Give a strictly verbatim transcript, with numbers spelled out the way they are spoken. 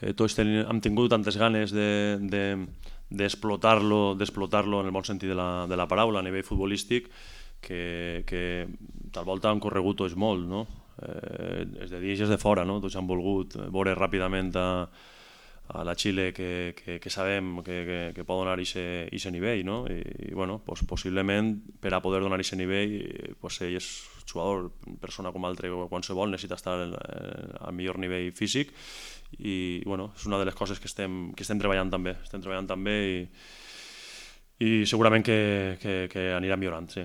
eh, tots ten, hem tingut tantes ganes de, de, d'explotar-lo d'explotar-lo en el bon sentit de la, de la paraula a nivell futbolístic que, que tal volta han corregut tots molt, no? Eh, és de dins i és de fora, no? Tots han volgut veure ràpidament a, a la Xile que, que, que sabem que, que, que pot donar aquest nivell, no? I, i bueno, pues, possiblement per a poder donar aquest nivell pues, ell és jugador, persona com altre qualsevol, necessita estar al, al millor nivell físic i bueno, és una de les coses que estem, que estem treballant també, estem treballant també i, i segurament que, que, que anirà millorant, sí.